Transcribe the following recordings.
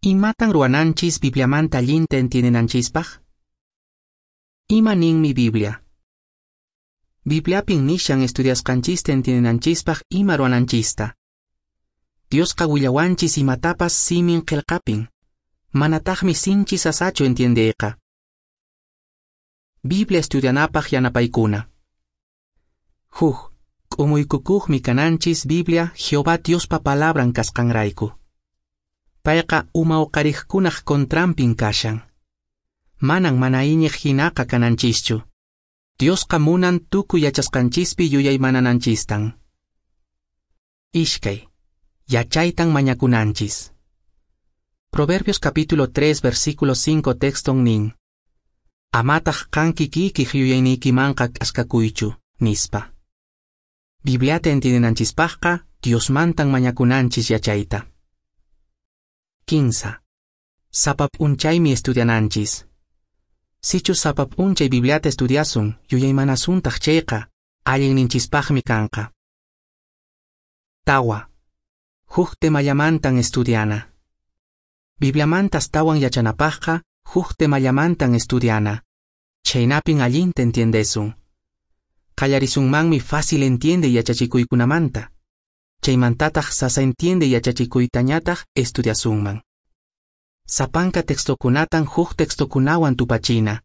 Imatan ruwananchis Bibliamanta allinta entiendenanchispaq? Ima ninmi Biblia? Bibliapin nishan estudiasqanchista entiendenanchispaq ima ruwananchista. Diosqa willawanchis imatapas simin qelqapin. Manataqmi sinchi sasachu entiendeyqa. Biblia estudianapaq yanapaykuna. Huk, k'umuykukuqmi kananchis Biblia Jehová Diospa palabran kasqanrayku. Payqa uma uqariqkunaq contranpin kashan. Manan mana iñiq hinaqa kananchischu. Diosqa munan tukuy yachasqanchispi yuyaymanananchistan. Ishkay, yachaytan mañakunanchis. Proverbios capítulo 3 versículo 5 texton nin. Amataq qan kikiykiq yuyayniykimanqa k'askakuychu, nispa. Bibliata entiendenanchispaqqa Diosmantan mañakunanchis yachayta. 15. Sapa p'unchaymi estudiananchis. Sichus sapa p'unchay Bibliata estudiasun, yuyaymanasuntaq chayqa, allinninchispaqmi kanqa. 4. Huk temallamantan estudiana. Bibliamanta astawan yachanapaqqa, huk temallamantan estudiana. Chhaynapin allinta entiendesun. Qallarisunmanmi fácil entiende yachachikuykunamanta. Chaymantataq sasa entiende yachachikuytañataq estudiasunman. Sapanka textokunatan huk textokunawan tupachina.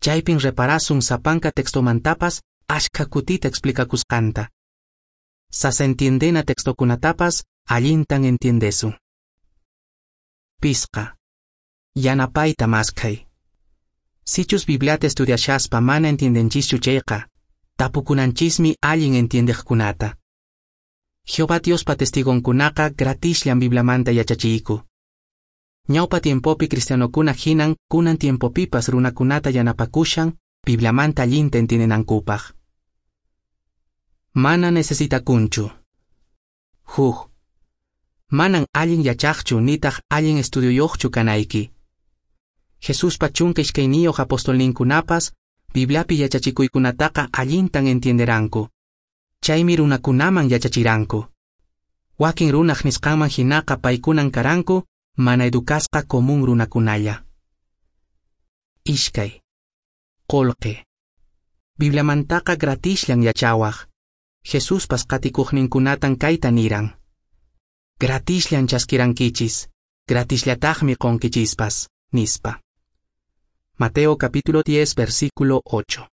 Chaypin reparasun sapanka textomantapas ashkha kutita explicakusqanta. Sasa entiendena textokunatapas allintan entiendesun. 5. Yanapayta maskhay. Sichus Bibliata estudiashaspa mana entiendenchischu chayqa, tapukunanchismi allin entiendeqkunata. Jehová Diospa testigonkunaqa gratisllan Bibliamanta yachachiyku. Ñawpa tiempopi cristianokuna hinan kunan tiempopipas runakunata yanapakushan Bibliamanta allinta entiendenankupaq. Mana necesitakunchu. 1. Manan allin yachaqchu nitaq allin estudioyuqchu kanayki. Jesuspa 12 apostolninkunapas Bibliapi yachachikuykunataqa allintan entienderanku. Chaymi runakunaman yachachiranku. Wakin runaq nisqanman hinaqa paykunan karanku mana educasqa común runakunalla. 2. Qolqe. Bibliamantaqa gratisllan yachawaq. Jesuspas qatikuqninkunatan kayta niran. Gratisllan chaskirankichis, gratisllataqmi qonkichispas, nispa. Mateo capítulo 10, versículo 8.